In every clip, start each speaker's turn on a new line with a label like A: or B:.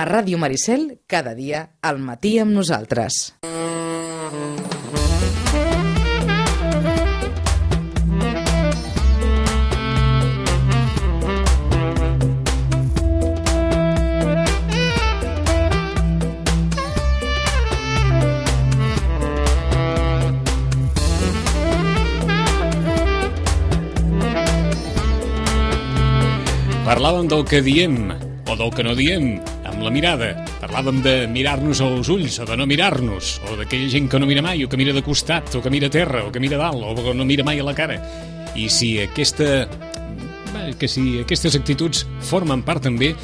A: A Ràdio Maricel, cada dia, al matí amb nosaltres.
B: Parlàvem del que diem o del que no diem amb la mirada. Parlàvem de mirar-nos als ulls o de no mirar-nos, o d'aquella gent que no mira mai, o que mira de costat, o que mira a terra, o que mira a dalt, o que no mira mai a la cara. I si aquestes actituds formen part també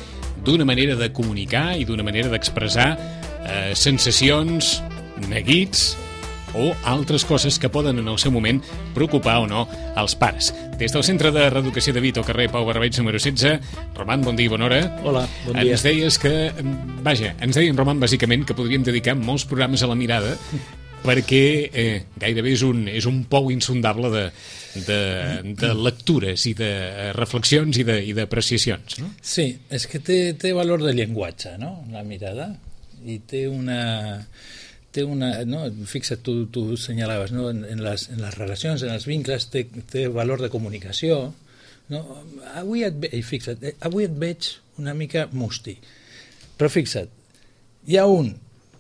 B: d'una manera de comunicar i d'una manera d'expressar sensacions, neguits o altres coses que poden en el seu moment preocupar o no els pares. Des del Centre de Reeducació de Vito, carrer Pau Barbeig, número 16. Roman, bon dia i bona hora.
C: Hola, bon dia.
B: Ens deies que, ens deien, Roman, bàsicament, que podríem dedicar molts programes a la mirada perquè gairebé és un pou insondable de lectures i de reflexions i d'apreciacions, no?
C: Sí, és que té valor de llenguatge, no?, la mirada, i té una no? Fixa't, tu senyalaves, no? En les relacions, en els vincles, té valor de comunicació, no? Avui et veig una mica musti, però fixa't, hi ha un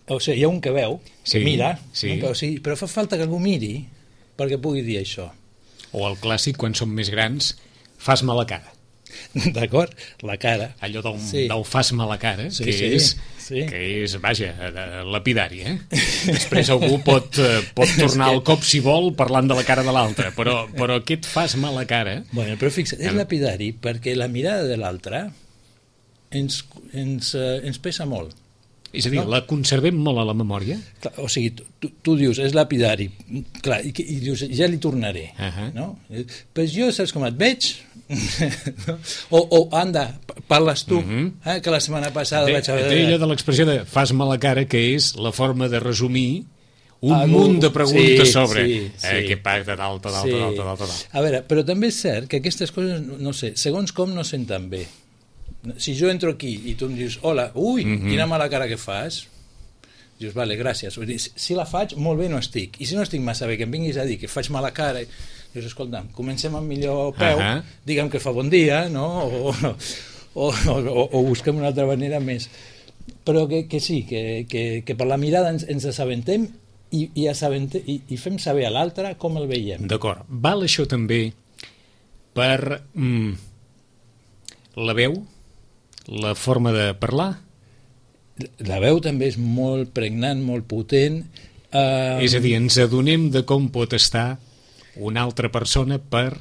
C: que veu, que mira,
B: sí.
C: No? Però fa falta que algú miri perquè pugui dir això.
B: O el clàssic, quan som més grans, fas mala cara.
C: D'acord? La cara.
B: Allò del fas mala cara,
C: sí,
B: que és, vaja, lapidari, Després algú pot tornar al cop, si vol, parlant de la cara de l'altre, però aquest fas mala cara...
C: Bueno, però fixa't, és lapidari perquè la mirada de l'altre ens pesa molt.
B: És a dir, no? La conservem molt a la memòria?
C: Clar, o sigui, tu dius, és lapidari, clar, i dius, ja li tornaré, no? Però jo, saps com et veig? o anda, parles tu, que la setmana passada vaig haver...
B: Allò de l'expressió de fas mala cara, que és la forma de resumir un munt de preguntes sobre què pacta, tal.
C: A veure, però també és cert que aquestes coses, no sé, segons com no senten bé. Si jo entro aquí i tu em dius hola, quina mala cara que fas, dius, vale, gràcies. Si la faig, molt bé no estic, i si no estic massa bé que em vinguis a dir que faig mala cara, dius, escolta'm, comencem amb millor peu, digue'm que fa bon dia, no? O busquem una altra manera més, però que sí, que per la mirada ens assabentem i fem saber a l'altre com el veiem.
B: D'acord, val això també per la veu, la forma de parlar?
C: La veu també és molt pregnant, molt potent.
B: És a dir, ens adonem de com pot estar una altra persona per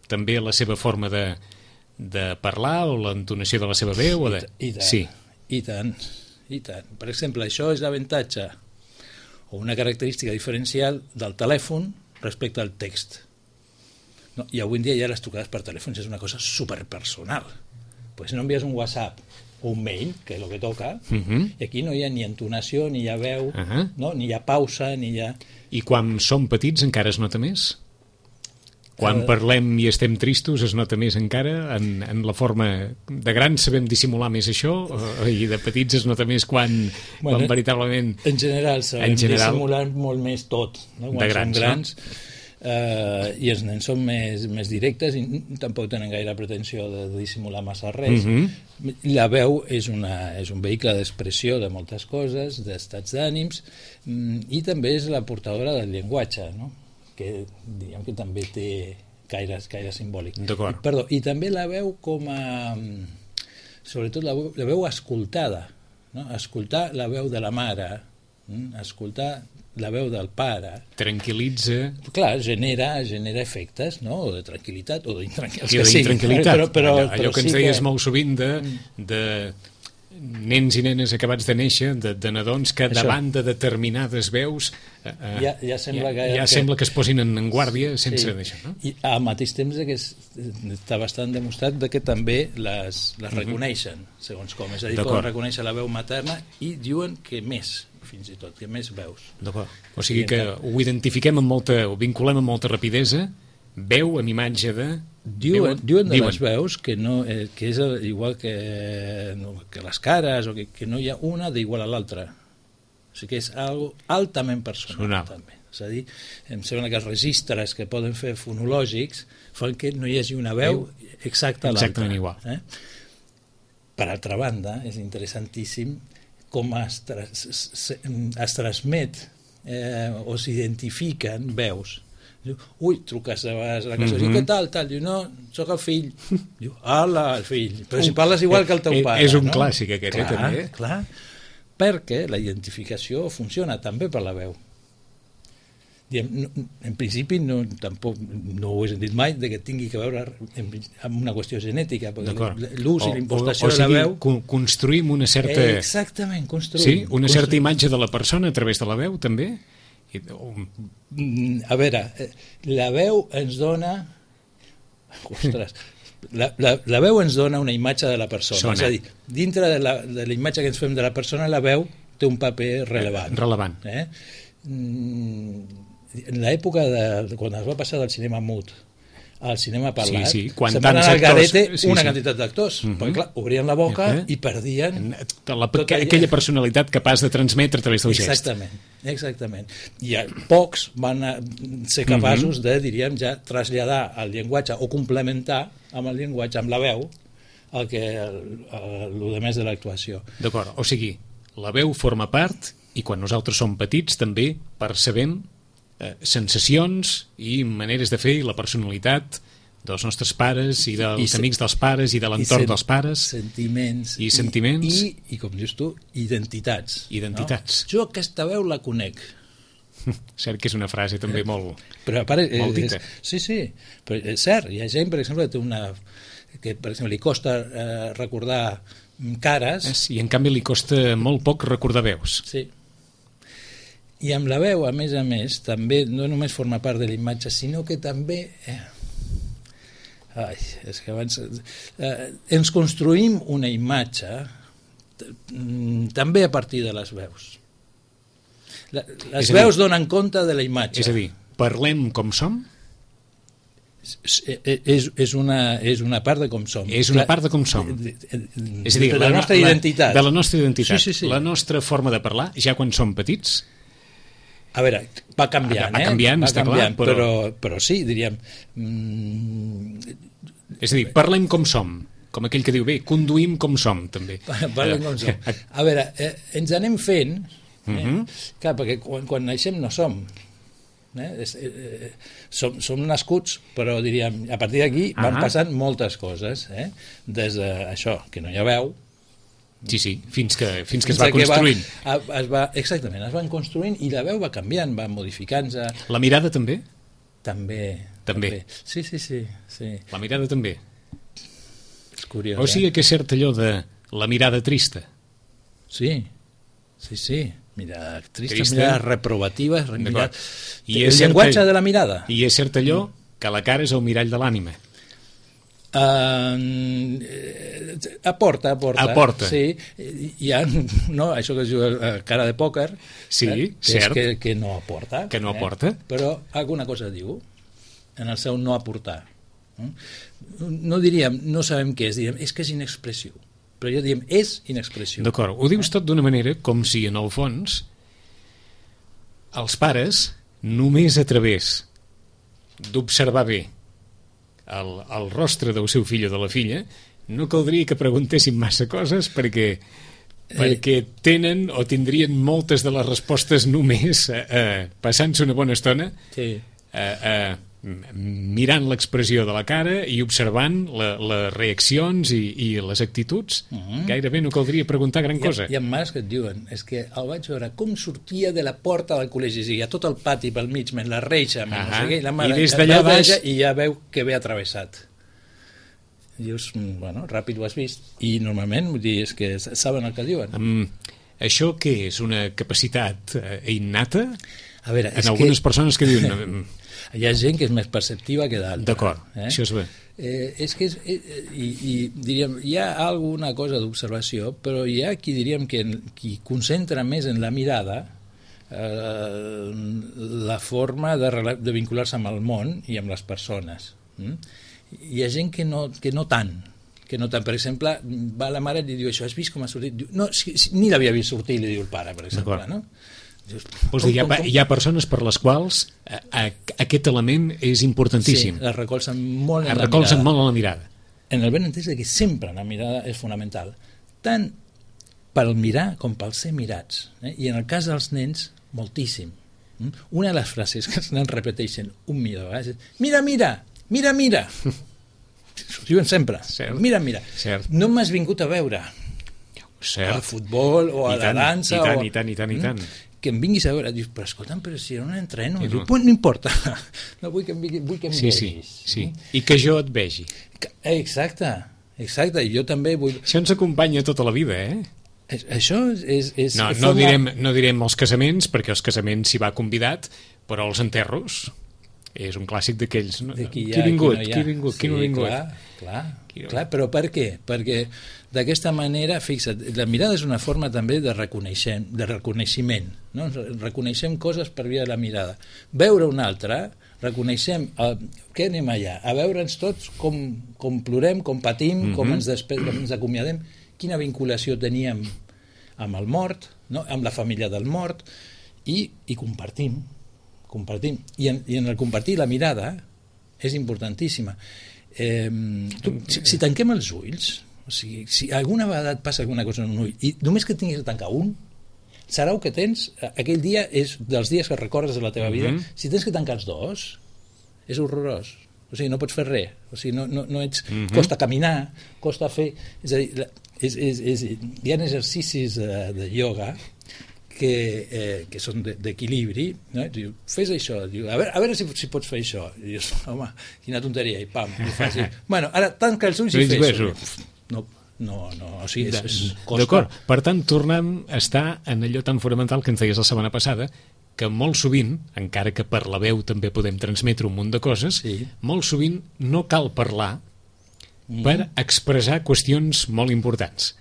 B: també la seva forma de parlar o l'entonació de la seva veu?
C: I tant. Per exemple, això és l'avantatge o una característica diferencial del telèfon respecte al text. No, i avui en dia ja les trucades per telèfons és una cosa superpersonal. Pues no envies un WhatsApp o un mail, que és el que toca, i aquí no hi ha ni entonació, ni hi ha veu, no? Ni hi ha pausa, ni hi ha...
B: I quan som petits encara es nota més? Quan parlem i estem tristos es nota més encara? En la forma de grans sabem dissimular més això? I de petits es nota més quan veritablement...
C: En general sabem dissimular molt més tot, no? Quan som grans. No? I els nens són més directes i tampoc tenen gaire pretensió de dissimular massa res. La veu és un vehicle d'expressió de moltes coses, d'estats d'ànims, i també és la portadora del llenguatge, no? Que diguem que també té caire simbòlic. Perdó, i també la veu com a... sobretot la veu escoltada, no? Escoltar la veu de la mare, escoltar la veu del pare... Tranquil·litza... Clar, genera efectes, no? O de tranquil·litat o
B: d'intranquil·litat. Allò que ens deies molt sovint de nens i nenes acabats de néixer, de nadons que davant de determinades veus
C: ja
B: sembla que es posin en guàrdia sense d'això, no?
C: I al mateix temps que està bastant demostrat que també les reconeixen, segons com. És a dir, poden reconèixer la veu materna i diuen que més, fins i tot, que més veus.
B: O sigui que ho identifiquem ho vinculem amb molta rapidesa, veu amb imatge de...
C: Diuen de les veus que és igual que les cares, o que no hi ha una d'igual a l'altra. O sigui que és algo altament personal. També. És a dir, em sembla que els registres que poden fer fonològics fan que no hi hagi una veu exacta a l'altra.
B: Exactament igual.
C: Per altra banda, és interessantíssim com es transmet o s'identifiquen veus. Diu, truques a la casa, diu, què tal? Diu, no, sóc el fill. Diu, ala, el fill. Però si parles igual que el teu pare.
B: És un clàssic aquest, també.
C: Clar, perquè la identificació funciona també per la veu. En principi tampoc no ho he sentit mai que tingui que veure amb una qüestió genètica, perquè l'ús i l'impostació de la veu...
B: Construïm una certa...
C: Exactament, construïm.
B: Sí, una certa imatge de la persona a través de la veu, també?
C: A veure, la veu ens dona... Ostres, la veu ens dona una imatge de la persona. És a dir, dintre de la imatge que ens fem de la persona, la veu té un paper rellevant. En l'època quan es va passar del cinema mut al cinema parlat, se'n van anar al garete una quantitat d'actors, perquè clar, obrien la boca i perdien
B: aquella personalitat capaç de transmetre a través del gest.
C: Exactament. I pocs van ser capaços de, diríem, ja traslladar el llenguatge o complementar amb el llenguatge, amb la veu, el més de l'actuació.
B: D'acord, o sigui, la veu forma part i quan nosaltres som petits també percebem sensacions i maneres de fer i la personalitat dels nostres pares i dels amics dels pares i de l'entorn dels pares,
C: sentiments i com dius tu, identitats. No? Jo aquesta veu la conec.
B: Cert que és una frase també molt dita.
C: Sí, però és cert, hi ha gent, per exemple, que per exemple li costa recordar cares
B: i en canvi li costa molt poc recordar veus.
C: Sí. I amb la veu, a més, també no només forma part de la imatge, sinó que també... és que abans... ens construïm una imatge també a partir de les veus. Les veus donen compte de la imatge.
B: És a dir, parlem com som?
C: És una part de com som.
B: És una part de com som. És a dir,
C: de la nostra identitat.
B: De la nostra identitat.
C: Sí.
B: La nostra forma de parlar, ja quan som petits...
C: A veure, va canviant,
B: va canviant,
C: però sí, diríem...
B: És a dir, parlem com som, com aquell que diu, bé, conduïm com som, també.
C: Parlem com som. A veure, ens anem fent, clar, perquè quan naixem no som. Som nascuts, però diríem, a partir d'aquí van passant moltes coses, des d'això, que no hi ha veu,
B: Sí, fins que es va construint.
C: Exactament, es van construint i la veu va canviant, va modificant-se.
B: La mirada també?
C: També. Sí.
B: La mirada també?
C: És curiós,
B: O sigui que és cert allò de la mirada trista?
C: Sí. Mirada trista, mirada reprovativa, el llenguatge de la mirada.
B: I és cert allò que la cara és el mirall de l'ànima?
C: Aporta. Sí, hi ha, això que es diu cara de pòquer,
B: cert,
C: que no aporta.
B: Que no aporta.
C: Però alguna cosa diu en el seu no aportar. No diríem, no sabem què és, diríem, és que és inexpressiu. Però jo diríem, és inexpressiu.
B: D'acord, ho dius tot d'una manera com si en el fons els pares només a través d'observar bé el rostre del seu fill o de la filla no caldria que preguntessin massa coses perquè tenen o tindrien moltes de les respostes només passant-se una bona estona mirant l'expressió de la cara i observant les reaccions i les actituds. Gairebé no caldria preguntar gran cosa.
C: Hi ha mares que et diuen, és que el vaig veure com sortia de la porta del col·legi, hi ha tot el pati pel mig, la reixa, no sé què, i la mare
B: i des d'allà baix
C: i ja veu que ve atravessat. Dius, bueno, ràpid ho has vist. I normalment, vull dir, és que saben el que diuen.
B: Això què és? Una capacitat innata?
C: A veure,
B: en algunes persones que diuen...
C: Hi ha gent que és més perceptiva que d'altra.
B: D'acord, això és bé.
C: És que diríem, hi ha alguna cosa d'observació, però hi ha qui diríem que qui concentra més en la mirada la forma de vincular-se amb el món i amb les persones. Hi ha gent que no tant. Per exemple, va la mare i li diu això, has vist com ha sortit? Diu, no, ni l'havia vist sortir, li diu el pare, per exemple. No?
B: Hi ha persones per les quals aquest element és importantíssim.
C: Sí, la recolzen molt en la mirada. En el benentès que sempre la mirada és fonamental, tant pel mirar com pel ser mirats. I en el cas dels nens, moltíssim. Una de les frases que els nens repeteixen 1.000 vegades és mira, mira, mira, mira. Ho diuen sempre. Cert. Mira, mira. Cert. No m'has vingut a veure al futbol o a la dansa.
B: I tant.
C: Que em vinguis a veure. Dius, però escolta'm, però si no entreno. Diu, no importa. No vull que em vegis.
B: Sí. I que jo et vegi.
C: Exacte. I jo també vull...
B: Això ens acompanya tota la vida,
C: Això és
B: no direm els casaments, perquè els casaments s'hi va convidat, però els enterros és un clàssic d'aquells. Qui ha vingut, qui no ha vingut.
C: Clar, però per què? Perquè d'aquesta manera, fixa't, la mirada és una forma també de reconeixement, no? Reconeixem coses per via de la mirada. Veure un altre, reconeixem què anem allà? A veure'ns tots com plorem, com patim, com ens acomiadem, quina vinculació teníem amb el mort, no? Amb la família del mort, i compartim. I en el compartir la mirada és importantíssima. Si tanquem els ulls, o sigui, si alguna vegada et passa alguna cosa en un ull i només que tinguis de tancar un, serà que tens, aquell dia és dels dies que recordes de la teva vida. Si tens que tancar els dos, és horrorós. O sigui, no pots fer res. O sigui, no ets... Costa caminar, costa fer... És a dir, hi ha exercicis de ioga que són d'equilibri, no? Diu, fes això, diu, a veure si pots fer això, i dius, home, quina tonteria, i pam, ho fas, bueno, ara tanca els ulls i fes-ho. No, o sigui, és costa.
B: D'acord, per tant, tornem a estar en allò tan fonamental que ens deies la setmana passada, que molt sovint, encara que per la veu també podem transmetre un munt de coses, molt sovint no cal parlar per expressar qüestions molt importants.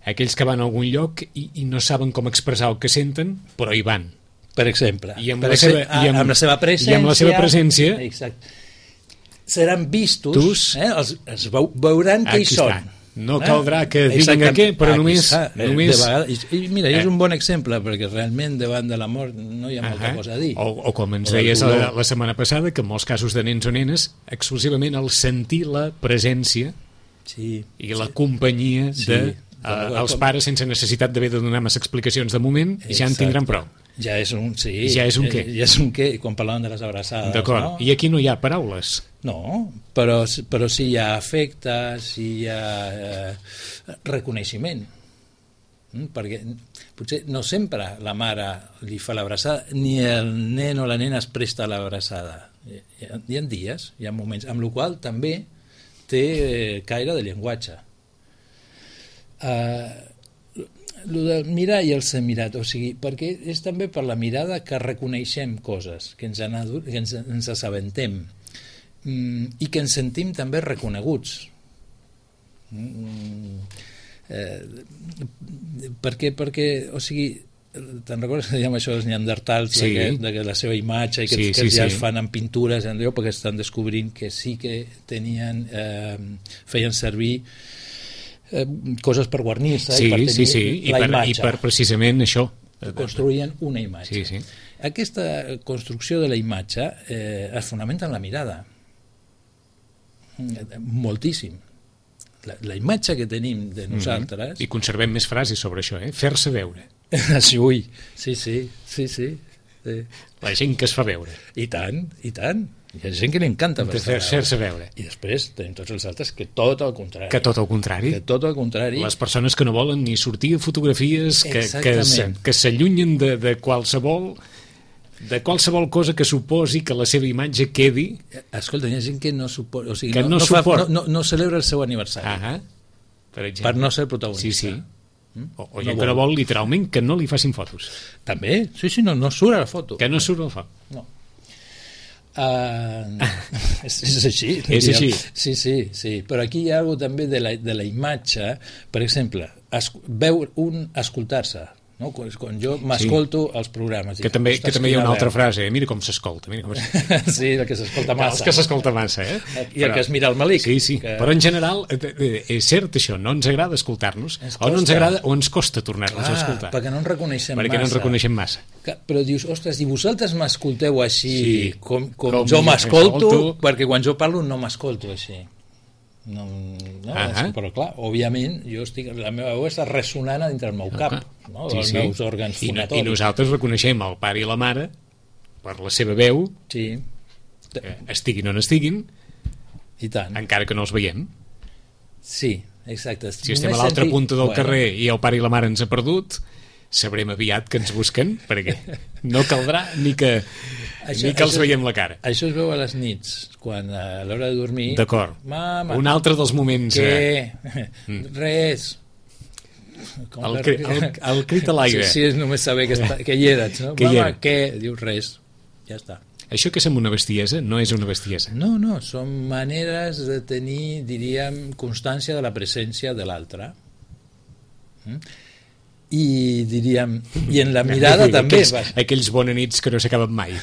B: Aquells que van a algun lloc i no saben com expressar el que senten, però hi van.
C: Per exemple.
B: I amb la seva presència...
C: Exacte. Seran vistos, els veuran que hi són.
B: No caldrà que diguin què, però només...
C: Mira, és un bon exemple, perquè realment davant de la mort no hi ha molta cosa a dir.
B: O com ens deies la setmana passada, que en molts casos de nens o nenes, exclusivament el sentir la presència i la companyia els pares, sense necessitat d'haver de donar massa explicacions de moment, ja en tindran prou.
C: Ja és un
B: què.
C: Ja és un què, quan parlàvem de les abraçades.
B: D'acord, no? I aquí no hi ha paraules.
C: No, però sí hi ha afecte, sí hi ha reconeixement. Perquè potser no sempre la mare li fa l'abraçada, ni el nen o la nena es presta a l'abraçada. Hi ha dies, hi ha moments, amb la qual també té caire de llenguatge. El de mirar i el ser mirat, o sigui, perquè és també per la mirada que reconeixem coses, que ens assabentem i que ens sentim també reconeguts. Perquè, o sigui, te'n recordes que dèiem això dels neandertals, de la seva imatge, i que ja es fan en pintures, perquè estan descobrint que sí que feien servir coses per guarnir-se i per tenir la imatge.
B: I per precisament això.
C: Construïen una imatge. Aquesta construcció de la imatge es fonamenta en la mirada. Moltíssim. La imatge que tenim de nosaltres...
B: I conservem més frases sobre això, fer-se veure.
C: Sí.
B: La gent que es fa veure.
C: I tant. Hi ha gent que li encanta
B: fer-se veure.
C: I després tenim tots els altres que tot el contrari.
B: Les persones que no volen ni sortir a fotografies, que s'allunyen de qualsevol cosa que suposi que la seva imatge quedi...
C: Escolta, hi ha gent que no suporta... O sigui, no celebra el seu aniversari. Per no ser protagonista.
B: O gent que no vol literalment que no li facin fotos.
C: També? Sí, no surt a la foto.
B: Que no surt a la foto.
C: No. És així.
B: És així.
C: Sí. Però aquí hi ha alguna també de la imatge, per exemple, escoltar-se, no? Quan jo m'escolto els programes.
B: Que també hi ha una altra frase, mira com s'escolta.
C: Sí, el que s'escolta massa.
B: Els que s'escolta massa,
C: I el que es mira el malic.
B: Sí, però en general és cert això, no ens agrada escoltar-nos, o no ens agrada o ens costa tornar-nos a escoltar.
C: Perquè no ens reconeixem massa. Però dius, ostres, i vosaltres m'escolteu així com jo m'escolto, perquè quan jo parlo no m'escolto així. No, però clar, òbviament la meva veu està ressonant dintre el meu cap, no? Els meus òrgans fonatoris.
B: I nosaltres reconeixem el pare i la mare per la seva veu, estiguin on estiguin,
C: i tant,
B: encara que no els veiem.
C: Sí, exacte.
B: Si estem a l'altra punta del carrer i el pare i la mare ens ha perdut, sabrem aviat que ens busquen, perquè no caldrà ni que els veiem la cara.
C: Això es veu a les nits, quan a l'hora de dormir...
B: D'acord.
C: Mama,
B: un altre dels moments...
C: Què? Res.
B: El crit a l'aire.
C: Sí, és només saber que hi eres, no? Mama, què? Dius res. Ja està.
B: Això que sembla una bestiesa no és una bestiesa.
C: No, són maneres de tenir, diríem, constància de la presència de l'altre. I diríem, i en la mirada també
B: aquells bona nits que no s'acaben mai.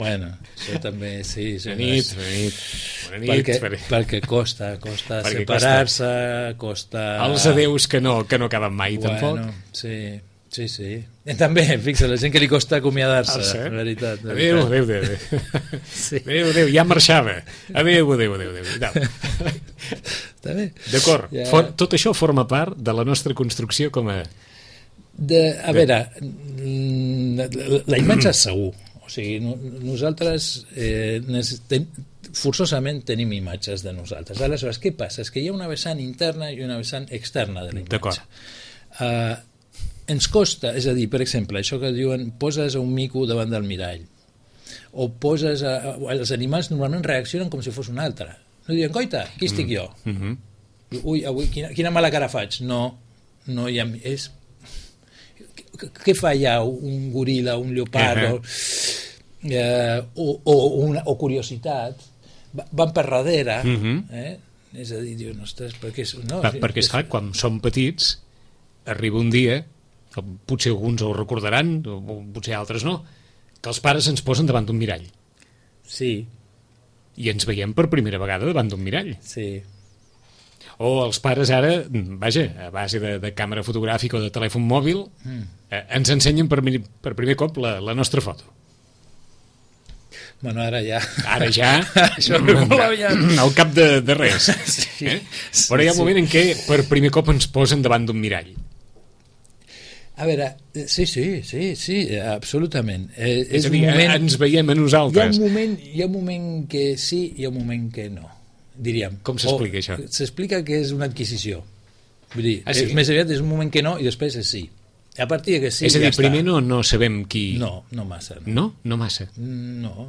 C: Bueno, això també sí,
B: bona nit
C: perquè costa separar-se, costa
B: els adeus que no acaben mai, tampoc.
C: Sí. I també, fixa, la gent que li costa acomiadar-se, en veritat.
B: Adéu. Adéu, ja marxava. Adéu.
C: Està bé.
B: D'acord, tot això forma part de la nostra construcció com a...
C: A veure, la imatge és segur. O sigui, nosaltres forçosament tenim imatges de nosaltres. Aleshores, què passa? És que hi ha una vessant interna i una vessant externa de la imatge. Ens costa, és a dir, per exemple, això que diuen poses un mico davant del mirall o poses... Els animals normalment reaccionen com si fos un altre. No diuen, coita, aquí estic jo. Ui, avui quina mala cara faig. No hi ha... Què fa allà un goril·la, un lleopard o curiositat? Van per darrere, és a dir, diuen, ostres, perquè
B: és clar, quan som petits arriba un dia, potser alguns ho recordaran, o potser altres no, que els pares ens posen davant d'un mirall.
C: Sí.
B: I ens veiem per primera vegada davant d'un mirall.
C: Sí.
B: O els pares ara, vaja, a base de càmera fotogràfica o de telèfon mòbil, ens ensenyen per primer cop la nostra foto.
C: Bueno, ara ja...
B: Ara ja, al cap de res. Però hi ha un moment en què per primer cop ens posen davant d'un mirall.
C: A veure, sí, absolutament.
B: És a dir, ens veiem a nosaltres.
C: Hi ha un moment que sí i hi ha un moment que no, diríem.
B: Com s'explica això?
C: S'explica que és una adquisició. Vull dir, més aviat és un moment que no i després és sí. A partir de que sí,
B: és a dir, primer no sabem qui...
C: No massa.
B: No? No massa?
C: No.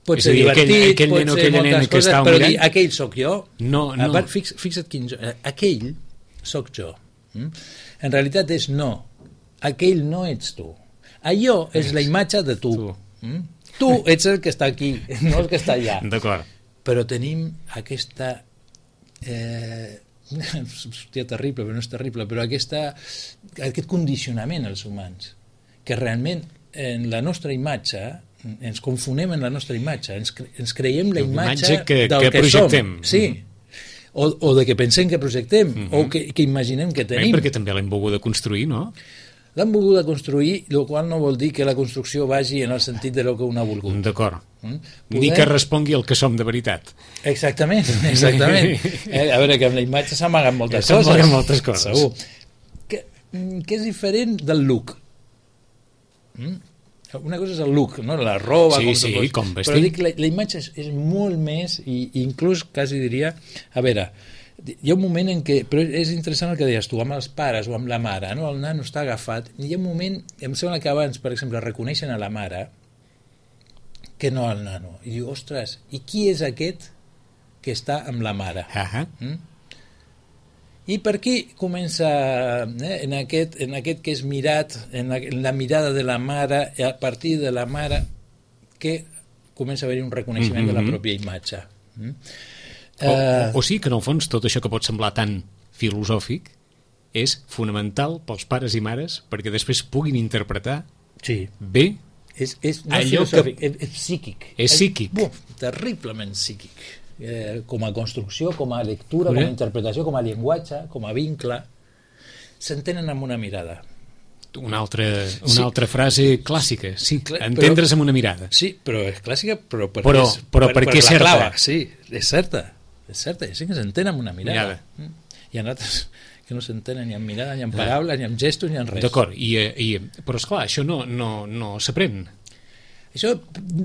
C: Pot ser divertit, pot ser moltes coses, però dir, aquell sóc jo.
B: No.
C: Fixa't quin... Aquell sóc jo. En realitat és no. Aquell no ets tu. Allò és la imatge de tu. Tu ets el que està aquí, no el que està allà.
B: D'acord.
C: Però tenim aquesta... hòstia, terrible, però no és terrible, però aquest condicionament als humans, que realment en la nostra imatge ens confonem en la nostra imatge, ens creiem la imatge del que projectem. Som. Sí. O de que pensem que projectem, o que imaginem que tenim.
B: Perquè també l'hem volgut construir, no?
C: L'han volgut construir, el qual no vol dir que la construcció vagi en el sentit de lo que un ha volgut.
B: D'acord. Ni que respongui el que som de veritat.
C: Exactament. A veure, que amb la imatge s'amaguen moltes coses.
B: S'amaguen moltes coses.
C: Segur. Que és diferent del look. Una cosa és el look, no? La roba...
B: Sí, com vestim.
C: Però dic, la imatge és molt més, i inclús quasi diria... A veure, hi ha un moment en què... Però és interessant el que deies tu, amb els pares o amb la mare, no? El nano està agafat, i hi ha un moment, em sembla que abans, per exemple, reconeixen a la mare que no al nano. I diu, ostres, i qui és aquest que està amb la mare? I per aquí comença, en aquest que és mirat, en la mirada de la mare, a partir de la mare, que comença a haver un reconeixement de la pròpia imatge.
B: O sí que en el fons tot això que pot semblar tan filosòfic és fonamental pels pares i mares perquè després puguin interpretar bé
C: no allò filosòfic, és psíquic.
B: És psíquic.
C: Terriblement psíquic. Com a construcció, com a lectura, com a interpretació, com a llenguatge, com a vincle, s'entenen amb una mirada.
B: Una altra frase clàssica, sí, entendre's amb una mirada.
C: Sí, però és clàssica, però
B: perquè és certa.
C: Clava, sí, és certa, i sí que s'entén amb una mirada. Hi ha altres que no s'entenen ni amb mirada, ni amb paraules, ni amb gestos, ni amb res.
B: D'acord, però esclar, això no s'aprèn.
C: Això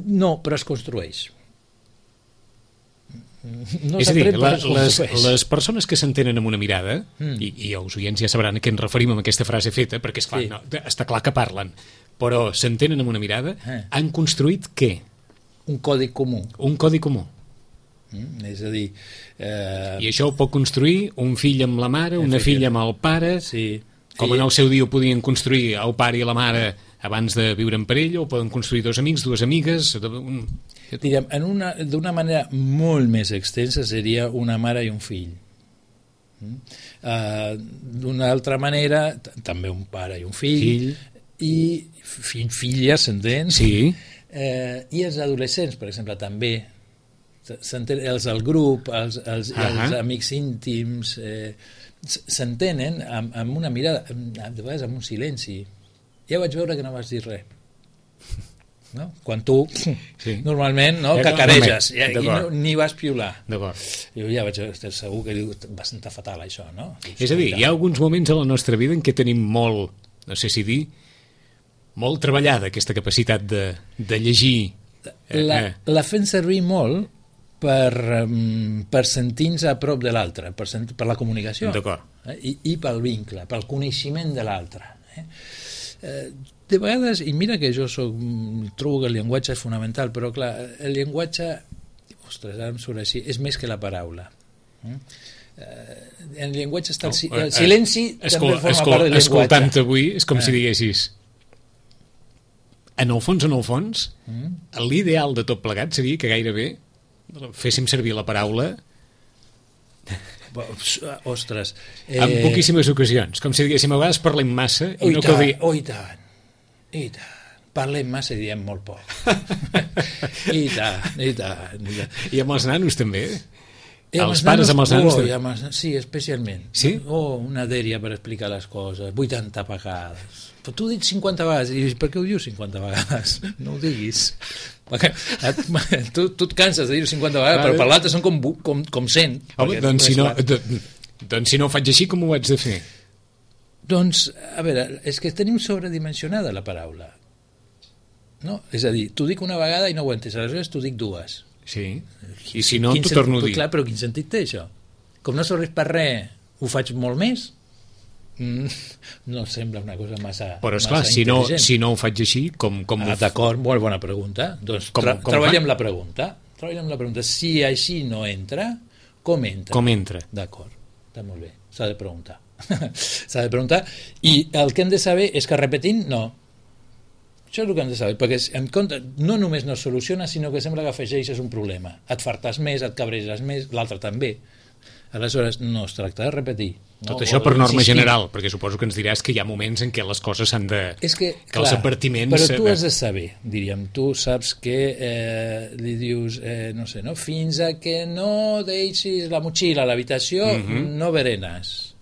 C: no, però es construeix. No
B: és a dir, les persones que s'entenen amb una mirada, i els oients ja sabran a què ens referim amb aquesta frase feta, perquè esclar, està clar que parlen, però s'entenen amb una mirada, han construït què?
C: Un codi comú.
B: Un codi comú.
C: És a dir...
B: I això ho pot construir un fill amb la mare, una filla amb el pare, com en el seu dia ho podien construir el pare i la mare abans de viure en parella, o poden construir dos amics, dues amigues...
C: Diríem, d'una manera molt més extensa seria una mare i un fill. D'una altra manera, també un pare i un fill. I filla, s'entén?
B: Sí.
C: I els adolescents, per exemple, també. Els del grup, els amics íntims, s'entenen amb una mirada, de vegades amb un silenci. Ja vaig veure que no vas dir res. No? Quan tu normalment cacareges ni vas piular. Jo ja vaig estar segur que va sentar fatal això, no?
B: És a dir, hi ha alguns moments a la nostra vida en què tenim molt, no sé si dir, molt treballada aquesta capacitat de llegir.
C: La fem servir molt per sentir-nos a prop de l'altre, per la comunicació i pel vincle, pel coneixement de l'altre. De vegades, i mira que jo trobo que el llenguatge és fonamental, però clar, el llenguatge, ara em surt així, és més que la paraula. En el llenguatge està el silenci, també forma part del llenguatge.
B: Escoltant-te avui, és com si diguessis, en el fons, l'ideal de tot plegat seria que gairebé féssim servir la paraula
C: ostres
B: en poquíssimes ocasions, com si diguéssim a vegades parlem massa i no cal dir
C: i tant, parlem massa i diem molt poc. I tant.
B: I amb els nanos també? Els pares amb els nanos?
C: Sí, especialment.
B: Sí?
C: Una dèria per explicar les coses, 80 vegades. Però tu dius 50 vegades, i per què ho dius 50 vegades? No ho diguis. Tu et canses de dir-ho 50 vegades, però per l'altre són com 100.
B: Home, doncs si no ho faig així, com ho haig de fer?
C: Doncs, a veure, és que tenim sobredimensionada la paraula. No? És a dir, t'ho dic una vegada i no ho entens, aleshores t'ho dic dues.
B: Sí, i si no t'ho torno a dir.
C: Clar, però quin sentit té això? Com no serveix per res, ho faig molt més? No sembla una cosa massa
B: però esclar, si no ho faig així com
C: d'acord, molt bona pregunta, doncs treballem la pregunta. Si així no entra, com entra? D'acord, està molt bé, s'ha de preguntar i el que hem de saber és que repetint no, això és el que hem de saber, perquè en compte no només no es soluciona, sinó que sembla que afegeixes un problema, et fartes més, et cabreges més, l'altre també. Aleshores no es tracta de repetir.
B: Tot això per norma general, perquè suposo que ens diràs que hi ha moments en què les coses s'han de... que els advertiments...
C: Però tu has de saber, diríem, tu saps que li dius, no sé, fins a que no deixis la motxilla a l'habitació, no berenes.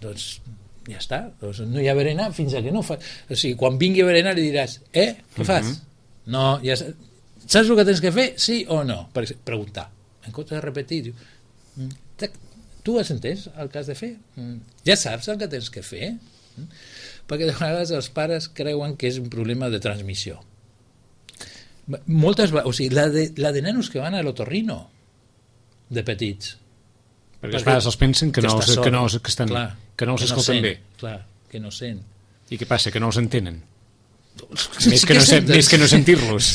C: Doncs ja està, no hi ha berenar fins a que no fa... O sigui, quan vingui a berenar li diràs, què fas? No, ja saps el que tens que fer, sí o no? Preguntar. En comptes de repetir, diu, tu has entès el que has de fer? Ja saps el que tens que fer? Perquè de vegades els pares creuen que és un problema de transmissió. O sigui, la de nanos que van a l'otorrino de petits.
B: Perquè els pares els pensen que no els escolten bé.
C: Clar, que no sent.
B: I què passa, que no els entenen? Més que no sentir-los.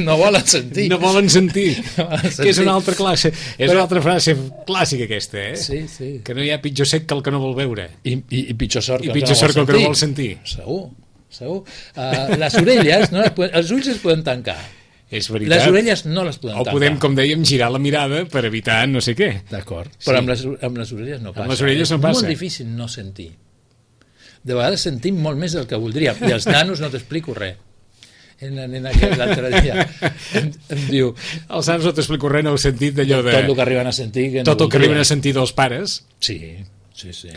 C: No volen sentir.
B: No volen sentir. Que és una altra classe. És una altra frase clàssica aquesta,
C: Sí.
B: Que no hi ha pitjor sec que el que no vol veure.
C: I pitjor sort que
B: el que no vol sentir.
C: Segur. Les orelles, els ulls es poden tancar.
B: És veritat.
C: Les orelles no les podem tancar.
B: O podem, com dèiem, girar la mirada per evitar no sé què.
C: D'acord, però amb les orelles no passa.
B: Amb les orelles no passa.
C: És molt difícil no sentir. De vegades sentim molt més del que voldríem. I els nanos no t'explico res. La nena que l'altre dia em diu...
B: Els nanos no t'explico res en el sentit d'allò de...
C: Tot el que arriben a sentir...
B: Tot el que arriben a sentir dels pares.
C: Sí.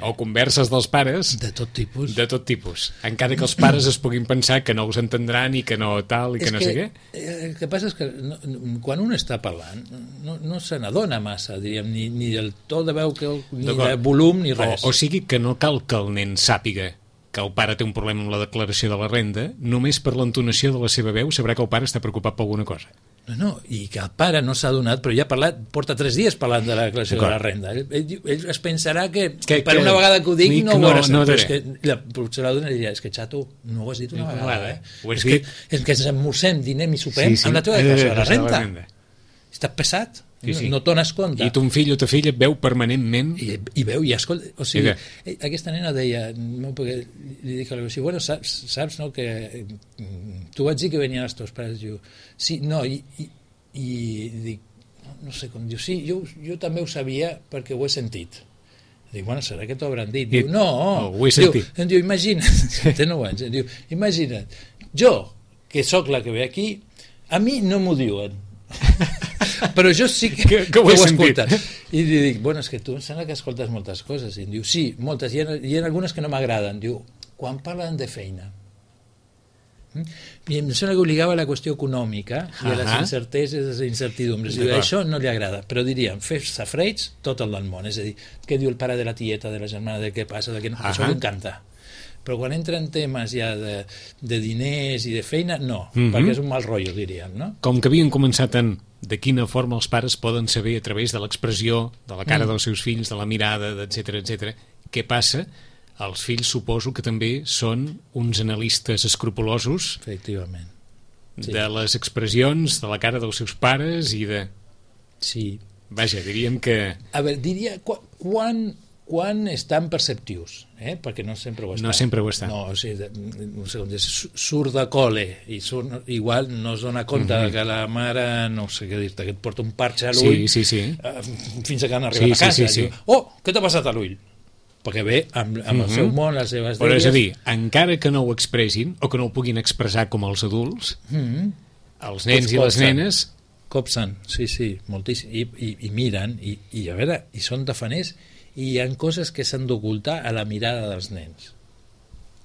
B: O converses dels pares.
C: De tot tipus.
B: De tot tipus. Encara que els pares es puguin pensar que no us entendran i que no tal i que no sé què.
C: El que passa és que quan un està parlant no se n'adona massa, diríem, ni del to de veu, ni de volum, ni res.
B: O sigui que no cal que el nen sàpiga que el pare té un problema amb la declaració de la renda, només per l'entonació de la seva veu sabrà que el pare està preocupat per alguna cosa.
C: No, i que el pare no s'ha adonat, però ja ha parlat, porta 3 dies parlant de la declaració de la renda. Ell es pensarà que per una vegada que ho digui no ho veuràs. Però és que potser la dona diria, és que xato, no ho has dit una vegada. És que ens emmorsem, dinem i sopem amb la teva declaració de la renda. Estàs pesat. No t'ones compte.
B: I ton fill o ta filla et veu permanentment.
C: I veu, i escolta. O sigui, aquesta nena deia, perquè li dic alguna cosa, bueno, saps no, que tu vaig dir que venien els teus pares, diu, sí, no, i dic, no sé com, diu, sí, jo també ho sabia perquè ho he sentit. Dic, bueno, serà que t'ho hauran dit. Diu, no,
B: ho he sentit.
C: Diu, imagina't, té 9 anys, diu, imagina't, jo, que sóc la que ve aquí, a mi no m'ho diuen. Però jo sí que ho he escoltat. I li dic, bueno, és que tu em sembla que escoltes moltes coses. I em diu, sí, moltes, i hi ha algunes que no m'agraden. Diu, quan parlen de feina. I em sembla que obligava a la qüestió econòmica i a les incerteses, les incertidumbres. Diu, això no li agrada, però diríem, fer safreig tot el del món. És a dir, què diu el pare de la tieta, de la germana, de què passa, de què no, això m'encanta. Però quan entren temes ja de diners i de feina, no, perquè és un mal rotllo, diríem, no?
B: Com que havien començat en de quina forma els pares poden saber a través de l'expressió, de la cara dels seus fills, de la mirada, etc. Què passa? Els fills suposo que també són uns analistes escrupulosos.
C: Efectivament.
B: De les expressions, de la cara dels seus pares i de...
C: Sí.
B: Vaja, diríem que...
C: A veure, diria, quan estan perceptius, perquè no sempre ho està.
B: No sempre ho està.
C: No, o sigui, surt de col·le i igual no es dona compte que la mare, no sé què dir-te, que et porta un parxe a l'ull fins que han arribat a casa. Diu, què t'ha passat a l'ull? Perquè ve amb el seu món, les seves
B: dèries... Però és a dir, encara que no ho expressin o que no ho puguin expressar com els adults, els nens i les nenes...
C: Copsen, sí, moltíssim. I miren, i a veure, i són tafaners, i hi ha coses que s'han d'ocultar a la mirada dels nens,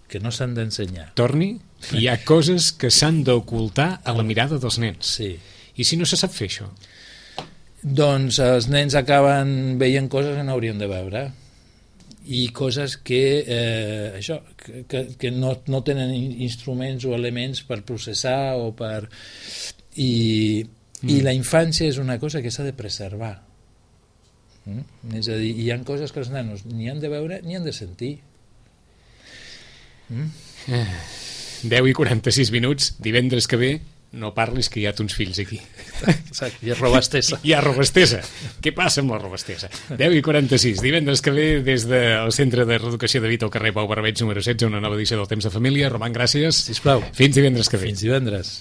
C: que no s'han d'ensenyar.
B: Torni, hi ha coses que s'han d'ocultar a la mirada dels nens.
C: Sí.
B: I si no se sap fer això?
C: Doncs els nens acaben veient coses que no haurien de veure, i coses que que no tenen instruments o elements per processar o per... I la infància és una cosa que s'ha de preservar. És a dir, hi ha coses que els nanos ni han de veure ni han de sentir.
B: 10:46, divendres que ve no parlis que hi ha tons fills aquí.
C: Exacte, hi ha robastesa.
B: Hi ha robastesa. Què passa amb la robastesa? 10:46, divendres que ve des del Centre de Reeducació de Vita al carrer Pau Barbeig número 16, una nova edició del Temps de Família. Roman, gràcies.
C: Sisplau.
B: Fins divendres que ve.
C: Fins divendres.